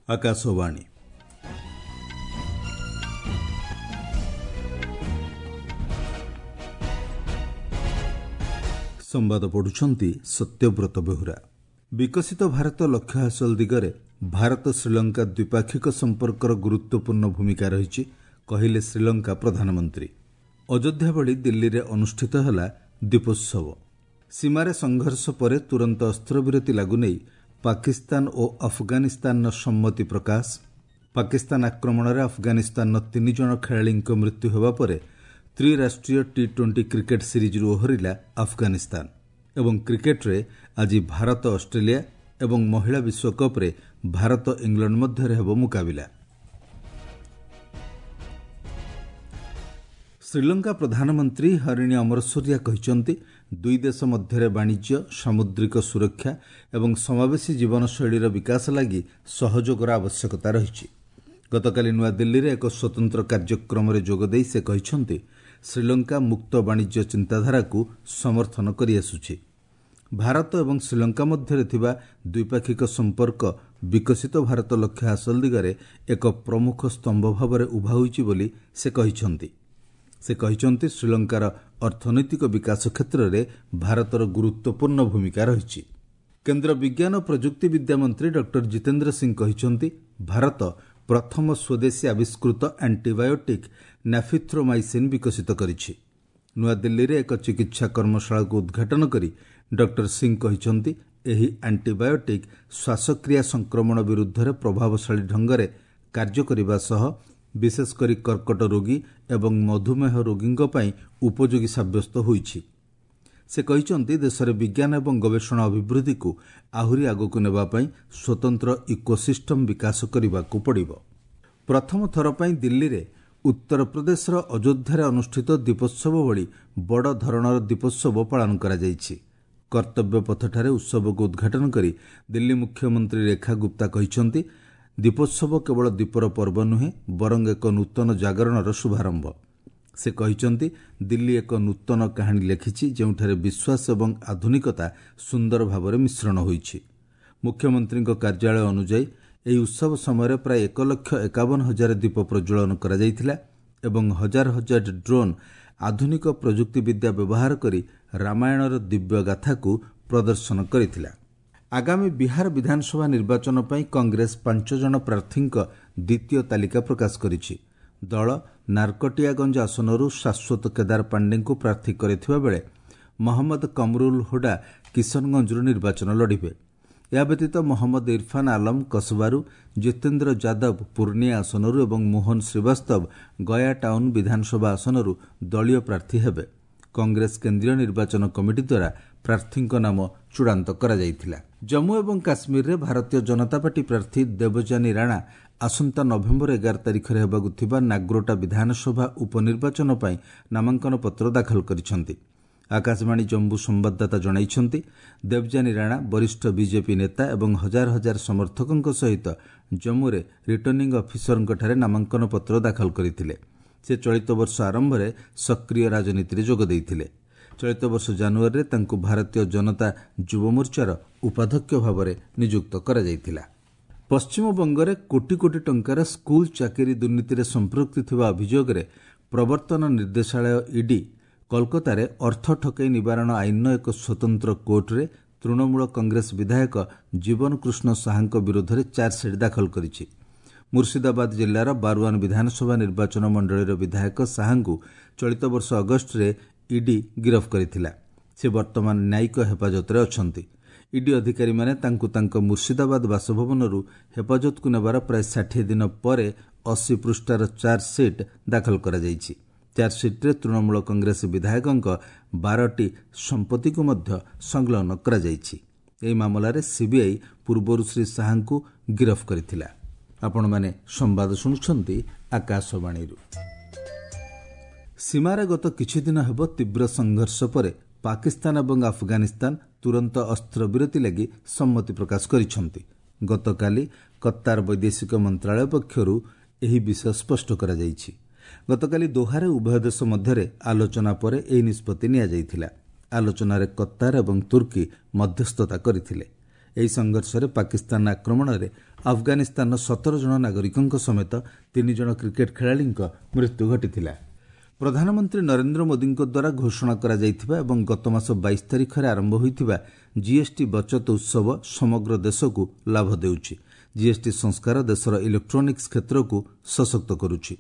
ଆକାଶବାଣୀ। ସମ୍ବାଦ ପଢୁଛନ୍ତି ସତ୍ୟବ୍ରତ ବେହୁରା। ବିକଶିତ ଭାରତ ଲକ୍ଷ୍ୟ ହାସଲ ଦିଗରେ ଭାରତ ଶ୍ରୀଲଙ୍କା ଦ୍ୱିପାକ୍ଷିକ ସମ୍ପର୍କର ଗୁରୁତ୍ୱପୂର୍ଣ୍ଣ ଭୂମିକା ରହିଛି, କହିଲେ ଶ୍ରୀଲଙ୍କା ପ୍ରଧାନମନ୍ତ୍ରୀ। ଅଯୋଧ୍ୟା ଭଳି ଦିଲ୍ଲୀରେ ଅନୁଷ୍ଠିତ ହେଲା ଦୀପୋତ୍ସବ। ସୀମାରେ ସଂଘର୍ଷ ପରେ ତୁରନ୍ତ ଅସ୍ତ୍ରବିରତି ଲାଗୁ ନେଇ ପାକିସ୍ତାନ ଓ ଆଫଗାନିସ୍ତାନର ସମ୍ମତି ପ୍ରକାଶ। ପାକିସ୍ତାନ ଆକ୍ରମଣରେ ଆଫଗାନିସ୍ତାନର 3 ଜଣ ଖେଳାଳିଙ୍କ ମୃତ୍ୟୁ ହେବା ପରେ ତ୍ରିରାଷ୍ଟ୍ରୀୟ ଟି-20 କ୍ରିକେଟ୍ ସିରିଜ୍ରୁ ଓହରିଲା ଆଫଗାନିସ୍ତାନ। ଏବଂ କ୍ରିକେଟ୍ରେ ଆଜି ଭାରତ ଅଷ୍ଟ୍ରେଲିଆ ଏବଂ ମହିଳା ବିଶ୍ୱକପ୍ରେ ଭାରତ ଇଂଲଣ୍ଡ ମଧ୍ୟରେ ହେବ ମୁକାବିଲା। ଶ୍ରୀଲଙ୍କା ପ୍ରଧାନମନ୍ତ୍ରୀ ହରିଣୀ ଅମରସୂରିଆ କହିଛନ୍ତି, ଦୁଇ ଦେଶ ମଧ୍ୟରେ ବାଣିଜ୍ୟ, ସାମୁଦ୍ରିକ ସୁରକ୍ଷା ଏବଂ ସମାବେଶୀ ଜୀବନଶୈଳୀର ବିକାଶ ଲାଗି ସହଯୋଗର ଆବଶ୍ୟକତା ରହିଛି। ଗତକାଲି ନୂଆଦିଲ୍ଲୀରେ ଏକ ସ୍ୱତନ୍ତ୍ର କାର୍ଯ୍ୟକ୍ରମରେ ଯୋଗଦେଇ ସେ କହିଛନ୍ତି, ଶ୍ରୀଲଙ୍କା ମୁକ୍ତ ବାଣିଜ୍ୟ ଚିନ୍ତାଧାରାକୁ ସମର୍ଥନ କରିଆସୁଛି। ଭାରତ ଏବଂ ଶ୍ରୀଲଙ୍କା ମଧ୍ୟରେ ଥିବା ଦ୍ୱିପାକ୍ଷିକ ସମ୍ପର୍କ ବିକଶିତ ଭାରତ ଲକ୍ଷ୍ୟ ହାସଲ ଦିଗରେ ଏକ ପ୍ରମୁଖ ସ୍ତମ୍ଭ ଭାବରେ ଉଭା ହୋଇଛି ବୋଲି ସେ କହିଛନ୍ତି। ସେ କହିଛନ୍ତି, ଶ୍ରୀଲଙ୍କାର ଅର୍ଥନୈତିକ ବିକାଶ କ୍ଷେତ୍ରରେ ଭାରତର ଗୁରୁତ୍ୱପୂର୍ଣ୍ଣ ଭୂମିକା ରହିଛି। କେନ୍ଦ୍ର ବିଜ୍ଞାନ ଓ ପ୍ରଯୁକ୍ତି ବିଦ୍ୟା ମନ୍ତ୍ରୀ ଡକ୍ଟର ଜିତେନ୍ଦ୍ର ସିଂ କହିଛନ୍ତି, ଭାରତ ପ୍ରଥମ ସ୍ୱଦେଶୀ ଆବିଷ୍କୃତ ଆଣ୍ଟିବାୟୋଟିକ୍ ନାଫିଥ୍ରୋମାଇସିନ୍ ବିକଶିତ କରିଛି। ନୂଆଦିଲ୍ଲୀରେ ଏକ ଚିକିତ୍ସା କର୍ମଶାଳାକୁ ଉଦ୍ଘାଟନ କରି ଡକ୍ଟର ସିଂ କହିଛନ୍ତି, ଏହି ଆଣ୍ଟିବାୟୋଟିକ୍ ଶ୍ୱାସକ୍ରିୟା ସଂକ୍ରମଣ ବିରୁଦ୍ଧରେ ପ୍ରଭାବଶାଳୀ ଢଙ୍ଗରେ କାର୍ଯ୍ୟ କରିବା ସହ ବିଶେଷ କରି କର୍କଟ ରୋଗୀ ଏବଂ ମଧୁମେହ ରୋଗୀଙ୍କ ପାଇଁ ଉପଯୋଗୀ ସାବ୍ୟସ୍ତ ହୋଇଛି। ସେ କହିଛନ୍ତି, ଦେଶରେ ବିଜ୍ଞାନ ଏବଂ ଗବେଷଣା ଅଭିବୃଦ୍ଧିକୁ ଆହୁରି ଆଗକୁ ନେବା ପାଇଁ ସ୍ୱତନ୍ତ୍ର ଇକୋସିଷ୍ଟମ୍ ବିକାଶ କରିବାକୁ ପଡ଼ିବ। ପ୍ରଥମ ଥର ପାଇଁ ଦିଲ୍ଲୀରେ ଉତ୍ତରପ୍ରଦେଶର ଅଯୋଧ୍ୟାରେ ଅନୁଷ୍ଠିତ ଦୀପୋତ୍ସବ ଭଳି ବଡ଼ ଧରଣର ଦୀପୋତ୍ସବ ପାଳନ କରାଯାଇଛି। କର୍ତ୍ତବ୍ୟ ପଥଠାରେ ଉତ୍ସବକୁ ଉଦ୍ଘାଟନ କରି ଦିଲ୍ଲୀ ମୁଖ୍ୟମନ୍ତ୍ରୀ ରେଖା ଗୁପ୍ତା କହିଛନ୍ତି, ଦୀପୋତ୍ସବ କେବଳ ଦୀପର ପର୍ବ ନୁହେଁ, ବରଂ ଏକ ନୂତନ ଜାଗରଣର ଶୁଭାରମ୍ଭ। ସେ କହିଛନ୍ତି, ଦିଲ୍ଲୀ ଏକ ନୂତନ କାହାଣୀ ଲେଖିଛି, ଯେଉଁଠାରେ ବିଶ୍ୱାସ ଏବଂ ଆଧୁନିକତା ସୁନ୍ଦର ଭାବରେ ମିଶ୍ରଣ ହୋଇଛି। ମୁଖ୍ୟମନ୍ତ୍ରୀଙ୍କ କାର୍ଯ୍ୟାଳୟ ଅନୁଯାୟୀ ଏହି ଉତ୍ସବ ସମୟରେ ପ୍ରାୟ 1,51,000 ଦୀପ ପ୍ରଜ୍ୱଳନ କରାଯାଇଥିଲା ଏବଂ ହଜାର ହଜାର ଡ୍ରୋନ୍ ଆଧୁନିକ ପ୍ରଯୁକ୍ତିବିଦ୍ୟା ବ୍ୟବହାର କରି ରାମାୟଣର ଦିବ୍ୟ ଗାଥାକୁ ପ୍ରଦର୍ଶନ କରିଥିଲା। ଆଗାମୀ ବିହାର ବିଧାନସଭା ନିର୍ବାଚନ ପାଇଁ କଂଗ୍ରେସ 5 ଜଣ ପ୍ରାର୍ଥୀଙ୍କ ଦ୍ୱିତୀୟ ତାଲିକା ପ୍ରକାଶ କରିଛି। ଦଳ ନାରକଟିଆଗଞ୍ଜ ଆସନରୁ ଶାଶ୍ୱତ କେଦାର ପାଣ୍ଡେଙ୍କୁ ପ୍ରାର୍ଥୀ କରିଥିବା ବେଳେ ମହମ୍ମଦ କମରୁଲ ହୁଡା କିଶନଗଞ୍ଜରୁ ନିର୍ବାଚନ ଲଢ଼ିବେ। ଏହା ବ୍ୟତୀତ ମହମ୍ମଦ ଇରଫାନ୍ ଆଲମ କସବାରୁ, ଜିତେନ୍ଦ୍ର ଯାଦବ ପୂର୍ଣ୍ଣିଆ ଆସନରୁ ଏବଂ ମୋହନ ଶ୍ରୀବାସ୍ତବ ଗୟା ଟାଉନ୍ ବିଧାନସଭା ଆସନରୁ ଦଳୀୟ ପ୍ରାର୍ଥୀ ହେବେ। କଂଗ୍ରେସ କେନ୍ଦ୍ରୀୟ ନିର୍ବାଚନ କମିଟି ଦ୍ୱାରା ପ୍ରାର୍ଥୀଙ୍କ ନାମ ଚୂଡ଼ାନ୍ତ କରାଯାଇଥିଲା। ଜମ୍ମୁ ଏବଂ କାଶ୍ମୀରରେ ଭାରତୀୟ ଜନତା ପାର୍ଟି ପ୍ରାର୍ଥୀ ଦେବଯାନୀ ରାଣା ଆସନ୍ତା ନଭେମ୍ବର 11 ତାରିଖରେ ହେବାକୁ ଥିବା ନାଗ୍ରୋଟା ବିଧାନସଭା ଉପନିର୍ବାଚନ ପାଇଁ ନାମାଙ୍କନ ପତ୍ର ଦାଖଲ କରିଛନ୍ତି। ଆକାଶବାଣୀ ଜମ୍ମୁ ସମ୍ବାଦଦାତା ଜଣାଇଛନ୍ତି, ଦେବଯାନୀ ରାଣା ବରିଷ୍ଠ ବିଜେପି ନେତା ଏବଂ ହଜାର ହଜାର ସମର୍ଥକଙ୍କ ସହିତ ଜମ୍ମୁରେ ରିଟର୍ଣ୍ଣିଂ ଅଫିସରଙ୍କଠାରେ ନାମାଙ୍କନ ପତ୍ର ଦାଖଲ କରିଥିଲେ। ସେ ଚଳିତ ବର୍ଷ ଆରମ୍ଭରେ ସକ୍ରିୟ ରାଜନୀତିରେ ଯୋଗ ଦେଇଥିଲେ। ଚଳିତ ବର୍ଷ ଜାନୁଆରୀରେ ତାଙ୍କୁ ଭାରତୀୟ ଜନତା ଯୁବମୋର୍ଚ୍ଚାର ଉପାଧ୍ୟକ୍ଷ ଭାବରେ ନିଯୁକ୍ତ କରାଯାଇଥିଲା। ପଶ୍ଚିମବଙ୍ଗରେ କୋଟି କୋଟି ଟଙ୍କାର ସ୍କୁଲ ଚାକିରି ଦୁର୍ନୀତିରେ ସମ୍ପୃକ୍ତି ଥିବା ଅଭିଯୋଗରେ ପ୍ରବର୍ତ୍ତନ ନିର୍ଦ୍ଦେଶାଳୟ ଇଡି କୋଲକାତାରେ ଅର୍ଥ ଠକେଇ ନିବାରଣ ଆଇନର ଏକ ସ୍ୱତନ୍ତ୍ର କୋର୍ଟରେ ତୃଣମୂଳ କଂଗ୍ରେସ ବିଧାୟକ ଜୀବନକୃଷ୍ଣ ସାହାଙ୍କ ବିରୋଧରେ ଚାର୍ଜସିଟ୍ ଦାଖଲ କରିଛି। ମୁର୍ସିଦାବାଦ ଜିଲ୍ଲାର ବାରୁଆନ ବିଧାନସଭା ନିର୍ବାଚନ ମଣ୍ଡଳୀର ବିଧାୟକ ସାହାଙ୍କୁ ଚଳିତ ବର୍ଷ ଅଗଷ୍ଟରେ ଇଡି ଗିରଫ କରିଥିଲା। ସେ ବର୍ତ୍ତମାନ ନ୍ୟାୟିକ ହେଫାଜତରେ ଅଛନ୍ତି। ଇଡି ଅଧିକାରୀମାନେ ତାଙ୍କୁ ତାଙ୍କ ମୁର୍ସିଦାବାଦ ବାସଭବନରୁ ହେଫାଜତକୁ ନେବାର ପ୍ରାୟ 60 ଦିନ ପରେ 80 ପୃଷ୍ଠାର ଚାର୍ଜସିଟ୍ ଦାଖଲ କରାଯାଇଛି। ଚାର୍ଜସିଟ୍ରେ ତୃଣମୂଳ କଂଗ୍ରେସ ବିଧାୟକଙ୍କ 12ଟି ସମ୍ପତ୍ତିକୁ ମଧ୍ୟ ସଂଲଗ୍ନ କରାଯାଇଛି। ଏହି ମାମଲାରେ ସିବିଆଇ ପୂର୍ବରୁ ଶ୍ରୀ ସାହାଙ୍କୁ ଗିରଫ କରିଥିଲା। ଆପଣମାନେ ସମ୍ବାଦ ଶୁଣୁଛନ୍ତି ଆକାଶବାଣୀରୁ। ସୀମାରେ ଗତ କିଛିଦିନ ହେବ ତୀବ୍ର ସଂଘର୍ଷ ପରେ ପାକିସ୍ତାନ ଏବଂ ଆଫଗାନିସ୍ତାନ ତୁରନ୍ତ ଅସ୍ତ୍ରବିରତି ଲାଗି ସମ୍ମତି ପ୍ରକାଶ କରିଛନ୍ତି। ଗତକାଲି କତ୍ତାର ବୈଦେଶିକ ମନ୍ତ୍ରାଳୟ ପକ୍ଷରୁ ଏହି ବିଷୟ ସ୍ପଷ୍ଟ କରାଯାଇଛି। ଗତକାଲି ଦୋହାରେ ଉଭୟ ଦେଶ ମଧ୍ୟରେ ଆଲୋଚନା ପରେ ଏହି ନିଷ୍ପତ୍ତି ନିଆଯାଇଥିଲା। ଆଲୋଚନାରେ କତ୍ତାର ଏବଂ ତୁର୍କୀ ମଧ୍ୟସ୍ଥତା କରିଥିଲେ। ଏହି ସଂଘର୍ଷରେ ପାକିସ୍ତାନ ଆକ୍ରମଣରେ ଆଫଗାନିସ୍ତାନର 17 ଜଣ ନାଗରିକଙ୍କ ସମେତ 3 ଜଣ କ୍ରିକେଟ୍ ଖେଳାଳିଙ୍କ ମୃତ୍ୟୁ ଘଟିଥିଲା। ପ୍ରଧାନମନ୍ତ୍ରୀ ନରେନ୍ଦ୍ର ମୋଦିଙ୍କ ଦ୍ୱାରା ଘୋଷଣା କରାଯାଇଥିବା ଏବଂ ଗତମାସ 22 ତାରିଖରେ ଆରମ୍ଭ ହୋଇଥିବା ଜିଏସ୍ଟି ବଚତ ଉତ୍ସବ ସମଗ୍ର ଦେଶକୁ ଲାଭ ଦେଉଛି। ଜିଏସ୍ଟି ସଂସ୍କାର ଦେଶର ଇଲେକ୍ଟ୍ରୋନିକ୍ସ କ୍ଷେତ୍ରକୁ ସଶକ୍ତ କରୁଛି।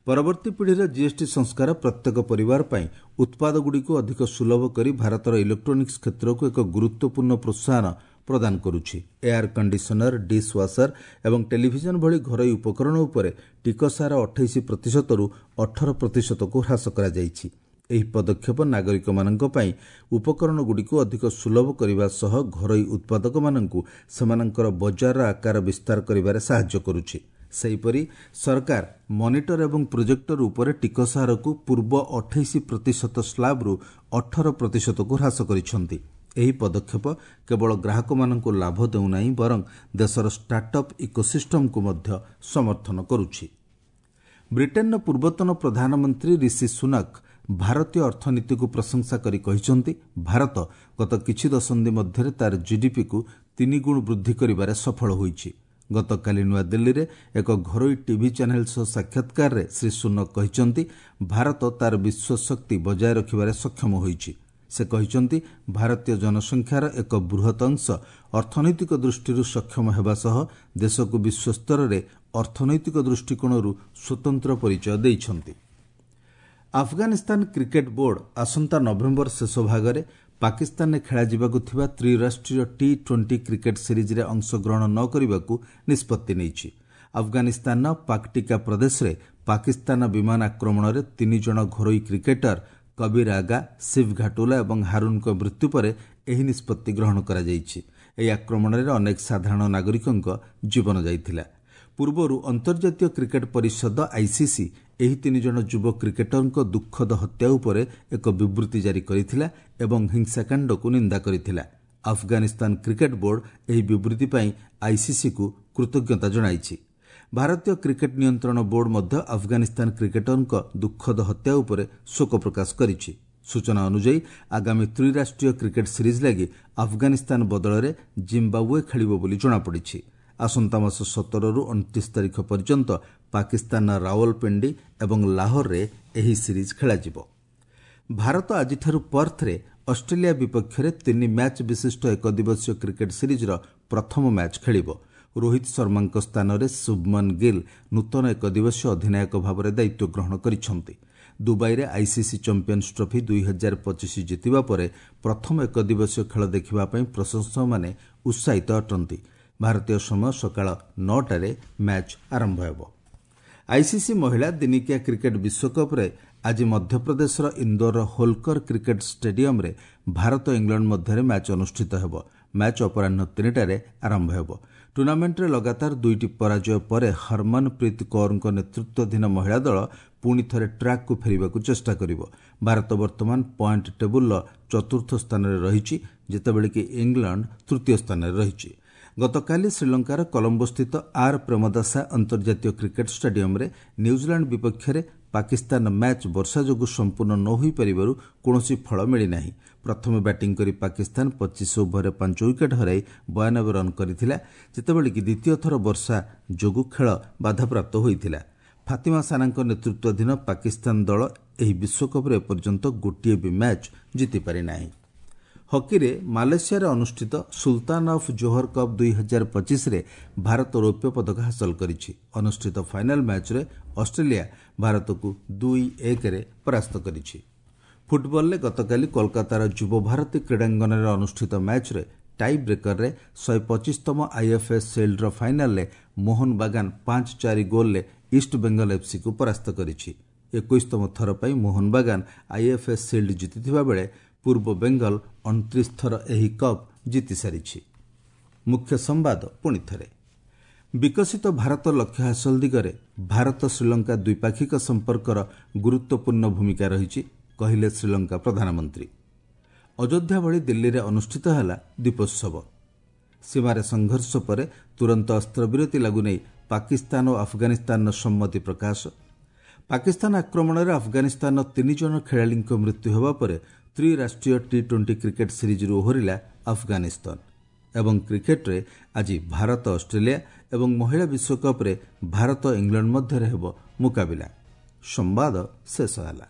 ପରବର୍ତ୍ତୀ ପିଢ଼ିର ଜିଏସ୍ଟି ସଂସ୍କାର ପ୍ରତ୍ୟେକ ପରିବାର ପାଇଁ ଉତ୍ପାଦଗୁଡ଼ିକୁ ଅଧିକ ସୁଲଭ କରି ଭାରତର ଇଲେକ୍ଟ୍ରୋନିକ୍ସ କ୍ଷେତ୍ରକୁ ଏକ ଗୁରୁତ୍ୱପୂର୍ଣ୍ଣ ପ୍ରୋତ୍ସାହନ ପ୍ରଦାନ କରୁଛି। ଏୟାର କଣ୍ଡିସନର, ଡିସ୍ ୱାସର ଏବଂ ଟେଲିଭିଜନ ଭଳି ଘରୋଇ ଉପକରଣ ଉପରେ ଟିକସ ହାର 28%ରୁ 18%କୁ ହ୍ରାସ କରାଯାଇଛି। ଏହି ପଦକ୍ଷେପ ନାଗରିକମାନଙ୍କ ପାଇଁ ଉପକରଣଗୁଡ଼ିକୁ ଅଧିକ ସୁଲଭ କରିବା ସହ ଘରୋଇ ଉତ୍ପାଦକମାନଙ୍କୁ ସେମାନଙ୍କର ବଜାରର ଆକାର ବିସ୍ତାର କରିବାରେ ସାହାଯ୍ୟ କରୁଛି। ସେହିପରି ସରକାର ମନିଟର ଏବଂ ପ୍ରୋଜେକ୍ଟର ଉପରେ ଟିକସ ହାରକୁ ପୂର୍ବ 28% ସ୍ଲାବ୍ରୁ 18%କୁ ହ୍ରାସ କରିଛନ୍ତି। ଏହି ପଦକ୍ଷେପ କେବଳ ଗ୍ରାହକମାନଙ୍କୁ ଲାଭ ଦେଉନାହିଁ, ବରଂ ଦେଶର ଷ୍ଟାର୍ଟଅପ୍ ଇକୋସିଷ୍ଟମକୁ ମଧ୍ୟ ସମର୍ଥନ କରୁଛି। ବ୍ରିଟେନର ପୂର୍ବତନ ପ୍ରଧାନମନ୍ତ୍ରୀ ରିଷି ସୁନକ ଭାରତୀୟ ଅର୍ଥନୀତିକୁ ପ୍ରଶଂସା କରି କହିଛନ୍ତି, ଭାରତ ଗତ କିଛି ଦଶନ୍ଧି ମଧ୍ୟରେ ତାର ଜିଡିପିକୁ 3 ଗୁଣ ବୃଦ୍ଧି କରିବାରେ ସଫଳ ହୋଇଛି। ଗତକାଲି ନୂଆଦିଲ୍ଲୀରେ ଏକ ଘରୋଇ ଟିଭି ଚ୍ୟାନେଲ ସହ ସାକ୍ଷାତକାରରେ ଶ୍ରୀ ସୁନକ କହିଛନ୍ତି, ଭାରତ ତାର ବିଶ୍ୱ ଶକ୍ତି ବଜାୟ ରଖିବାରେ ସକ୍ଷମ ହୋଇଛି। ସେ କହିଛନ୍ତି, ଭାରତୀୟ ଜନସଂଖ୍ୟାର ଏକ ବୃହତ୍ ଅଂଶ ଅର୍ଥନୈତିକ ଦୃଷ୍ଟିରୁ ସକ୍ଷମ ହେବା ସହ ଦେଶକୁ ବିଶ୍ୱସ୍ତରରେ ଅର୍ଥନୈତିକ ଦୃଷ୍ଟିକୋଣରୁ ସ୍ୱତନ୍ତ୍ର ପରିଚୟ ଦେଇଛନ୍ତି। ଆଫଗାନିସ୍ତାନ କ୍ରିକେଟ୍ ବୋର୍ଡ ଆସନ୍ତା ନଭେମ୍ବର ଶେଷ ଭାଗରେ ପାକିସ୍ତାନରେ ଖେଳାଯିବାକୁ ଥିବା ତ୍ରିରାଷ୍ଟ୍ରୀୟ ଟି-20 କ୍ରିକେଟ୍ ସିରିଜ୍ରେ ଅଂଶଗ୍ରହଣ ନ କରିବାକୁ ନିଷ୍ପତ୍ତି ନେଇଛି। ଆଫଗାନିସ୍ତାନର ପାକ୍ଟିକା ପ୍ରଦେଶରେ ପାକିସ୍ତାନ ବିମାନ ଆକ୍ରମଣରେ 3 ଜଣ ଘରୋଇ କ୍ରିକେଟର କବୀର ଆଗା, ଶିବ ଘାଟୁଲା ଏବଂ ହାରୁନଙ୍କ ମୃତ୍ୟୁ ପରେ ଏହି ନିଷ୍ପତ୍ତି ଗ୍ରହଣ କରାଯାଇଛି। ଏହି ଆକ୍ରମଣରେ ଅନେକ ସାଧାରଣ ନାଗରିକଙ୍କ ଜୀବନ ଯାଇଥିଲା। ପୂର୍ବରୁ ଅନ୍ତର୍ଜାତୀୟ କ୍ରିକେଟ୍ ପରିଷଦ ଆଇସିସି ଏହି 3 ଜଣ ଯୁବ କ୍ରିକେଟରଙ୍କ ଦୁଃଖଦ ହତ୍ୟା ଉପରେ ଏକ ବିବୃତ୍ତି ଜାରି କରିଥିଲା ଏବଂ ହିଂସାକାଣ୍ଡକୁ ନିନ୍ଦା କରିଥିଲା। ଆଫଗାନିସ୍ତାନ କ୍ରିକେଟ୍ ବୋର୍ଡ ଏହି ବିବୃତ୍ତି ପାଇଁ ଆଇସିସିକୁ କୃତଜ୍ଞତା ଜଣାଇଛି। ଭାରତୀୟ କ୍ରିକେଟ୍ ନିୟନ୍ତ୍ରଣ ବୋର୍ଡ ମଧ୍ୟ ଆଫଗାନିସ୍ତାନ କ୍ରିକେଟରଙ୍କ ଦୁଃଖଦ ହତ୍ୟା ଉପରେ ଶୋକ ପ୍ରକାଶ କରିଛି। ସୂଚନା ଅନୁଯାୟୀ, ଆଗାମୀ ତ୍ରିରାଷ୍ଟ୍ରୀୟ କ୍ରିକେଟ୍ ସିରିଜ୍ ଲାଗି ଆଫଗାନିସ୍ତାନ ବଦଳରେ ଜିମ୍ବାବୁଏ ଖେଳିବ ବୋଲି ଜଣାପଡ଼ିଛି। ଆସନ୍ତା ମାସ 17ରୁ 29 ତାରିଖ ପର୍ଯ୍ୟନ୍ତ ପାକିସ୍ତାନର ରାୱଲପିଣ୍ଡି ଏବଂ ଲାହୋରରେ ଏହି ସିରିଜ୍ ଖେଳାଯିବ। ଭାରତ ଆଜିଠାରୁ ପର୍ଥରେ ଅଷ୍ଟ୍ରେଲିଆ ବିପକ୍ଷରେ 3 ମ୍ୟାଚ୍ ବିଶିଷ୍ଟ ଏକଦିବସୀୟ କ୍ରିକେଟ୍ ସିରିଜ୍ର ପ୍ରଥମ ମ୍ୟାଚ୍ ଖେଳିବ। ରୋହିତ ଶର୍ମାଙ୍କ ସ୍ଥାନରେ ଶୁଭମନ ଗିଲ୍ ନୂତନ ଏକଦିବସୀୟ ଅଧିନାୟକ ଭାବରେ ଦାୟିତ୍ୱ ଗ୍ରହଣ କରିଛନ୍ତି। ଦୁବାଇରେ ଆଇସିସି ଚାମ୍ପିୟନ୍ସ ଟ୍ରଫି 2025 ଜିତିବା ପରେ ପ୍ରଥମ ଏକଦିବସୀୟ ଖେଳ ଦେଖିବା ପାଇଁ ପ୍ରଶଂସକମାନେ ଉତ୍ସାହିତ ଅଟନ୍ତି। ଭାରତୀୟ ସମୟ ସକାଳ 9ଟାରେ ମ୍ୟାଚ୍ ଆରମ୍ଭ ହେବ। ଆଇସିସି ମହିଳା ଦିନିକିଆ କ୍ରିକେଟ୍ ବିଶ୍ୱକପ୍ରେ ଆଜି ମଧ୍ୟପ୍ରଦେଶର ଇନ୍ଦୋରର ହୋଲକର କ୍ରିକେଟ୍ ଷ୍ଟାଡିୟମରେ ଭାରତ ଇଂଲଣ୍ଡ ମଧ୍ୟରେ ମ୍ୟାଚ୍ ଅନୁଷ୍ଠିତ ହେବ। ମ୍ୟାଚ୍ ଅପରାହ୍ନ 3ଟାରେ ଆରମ୍ଭ ହେବ। ଟୁର୍ଣ୍ଣାମେଣ୍ଟରେ ଲଗାତାର 2ଟି ପରାଜୟ ପରେ ହରମନପ୍ରୀତ କୌରଙ୍କ ନେତୃତ୍ୱାଧୀନ ମହିଳା ଦଳ ପୁଣି ଥରେ ଟ୍ରାକ୍କୁ ଫେରିବାକୁ ଚେଷ୍ଟା କରିବ। ଭାରତ ବର୍ତ୍ତମାନ ପଏଣ୍ଟ ଟେବୁଲର 4ର୍ଥ ସ୍ଥାନରେ ରହିଛି, ଯେତେବେଳେ କି ଇଂଲଣ୍ଡ 3ତୀୟ ସ୍ଥାନରେ ରହିଛି। ଗତକାଲି ଶ୍ରୀଲଙ୍କାର କଲମ୍ବୋସ୍ଥିତ ଆର୍ ପ୍ରେମଦାସା ଅନ୍ତର୍ଜାତୀୟ କ୍ରିକେଟ୍ ଷ୍ଟାଡିୟମରେ ନ୍ୟୁଜିଲାଣ୍ଡ ବିପକ୍ଷରେ ପାକିସ୍ତାନ ମ୍ୟାଚ୍ ବର୍ଷା ଯୋଗୁଁ ସମ୍ପୂର୍ଣ୍ଣ ନ ହୋଇପାରିବାରୁ କୌଣସି ଫଳ ମିଳିନାହିଁ। ପ୍ରଥମେ ବ୍ୟାଟିଂ କରି ପାକିସ୍ତାନ 25 ଓଭରରେ 5 ୱିକେଟ୍ ହରାଇ 92 ରନ୍ କରିଥିଲା, ଯେତେବେଳେ କି ଦ୍ୱିତୀୟ ଥର ବର୍ଷା ଯୋଗୁଁ ଖେଳ ବାଧାପ୍ରାପ୍ତ ହୋଇଥିଲା। ଫାତିମା ସାନାଙ୍କ ନେତୃତ୍ୱାଧୀନ ପାକିସ୍ତାନ ଦଳ ଏହି ବିଶ୍ୱକପ୍ରେ ଏପର୍ଯ୍ୟନ୍ତ ଗୋଟିଏ ବି ମ୍ୟାଚ୍ ଜିତିପାରିନାହିଁ। ହକିରେ ମାଲେସିଆରେ ଅନୁଷ୍ଠିତ ସୁଲତାନ ଅଫ୍ ଜୋହର କପ୍ 2025ରେ ଭାରତ ରୌପ୍ୟ ପଦକ ହାସଲ କରିଛି। ଅନୁଷ୍ଠିତ ଫାଇନାଲ ମ୍ୟାଚ୍ରେ ଅଷ୍ଟ୍ରେଲିଆ ଭାରତକୁ 2-1ରେ ପରାସ୍ତ କରିଛି। ଫୁଟବଲରେ ଗତକାଲି କୋଲକାତାର ଯୁବଭାରତୀ କ୍ରୀଡ଼ାଙ୍ଗନରେ ଅନୁଷ୍ଠିତ ମ୍ୟାଚ୍ରେ ଟାଇ ବ୍ରେକରରେ 125ତମ ଆଇଏଫ୍ଏସ୍ ସିଲ୍ଡର ଫାଇନାଲରେ ମୋହନ ବାଗାନ 5-4 ଗୋଲ୍ରେ ଇଷ୍ଟ ବେଙ୍ଗଲ ଏଫ୍ସିକୁ ପରାସ୍ତ କରିଛି। 21ତମ ଥର ପାଇଁ ମୋହନ ବାଗାନ ଆଇଏଫ୍ଏସ୍ ସିଲ୍ଡ ଜିତିଥିବା ବେଳେ ପୂର୍ବ ବେଙ୍ଗଲ 29 ଥର ଏହି କପ୍ ଜିତିସାରିଛି। ମୁଖ୍ୟ ସମ୍ବାଦ ପୁଣି ଥରେ, ବିକଶିତ ଭାରତ ଲକ୍ଷ୍ୟ ହାସଲ ଦିଗରେ ଭାରତ ଶ୍ରୀଲଙ୍କା ଦ୍ୱିପାକ୍ଷିକ ସମ୍ପର୍କର ଗୁରୁତ୍ୱପୂର୍ଣ୍ଣ ଭୂମିକା ରହିଛି, କହିଲେ ଶ୍ରୀଲଙ୍କା ପ୍ରଧାନମନ୍ତ୍ରୀ। ଅଯୋଧ୍ୟା ଭଳି ଦିଲ୍ଲୀରେ ଅନୁଷ୍ଠିତ ହେଲା ଦୀପୋତ୍ସବ। ସୀମାରେ ସଂଘର୍ଷ ପରେ ତୁରନ୍ତ ଅସ୍ତ୍ରବିରତି ଲାଗୁ ନେଇ ପାକିସ୍ତାନ ଓ ଆଫଗାନିସ୍ତାନର ସମ୍ମତି ପ୍ରକାଶ। ପାକିସ୍ତାନ ଆକ୍ରମଣରେ ଆଫଗାନିସ୍ତାନର 3 ଜଣ ଖେଳାଳିଙ୍କ ମୃତ୍ୟୁ ହେବା ପରେ ତ୍ରିରାଷ୍ଟ୍ରୀୟ ଟି-20 କ୍ରିକେଟ୍ ସିରିଜ୍ରୁ ଓହରିଲା ଆଫଗାନିସ୍ତାନ। ଏବଂ କ୍ରିକେଟ୍ରେ ଆଜି ଭାରତ ଅଷ୍ଟ୍ରେଲିଆ ଏବଂ ମହିଳା ବିଶ୍ୱକପ୍ରେ ଭାରତ ଇଂଲଣ୍ଡ ମଧ୍ୟରେ ହେବ ମୁକାବିଲା। ସମ୍ବାଦ ଶେଷ ହେଲା।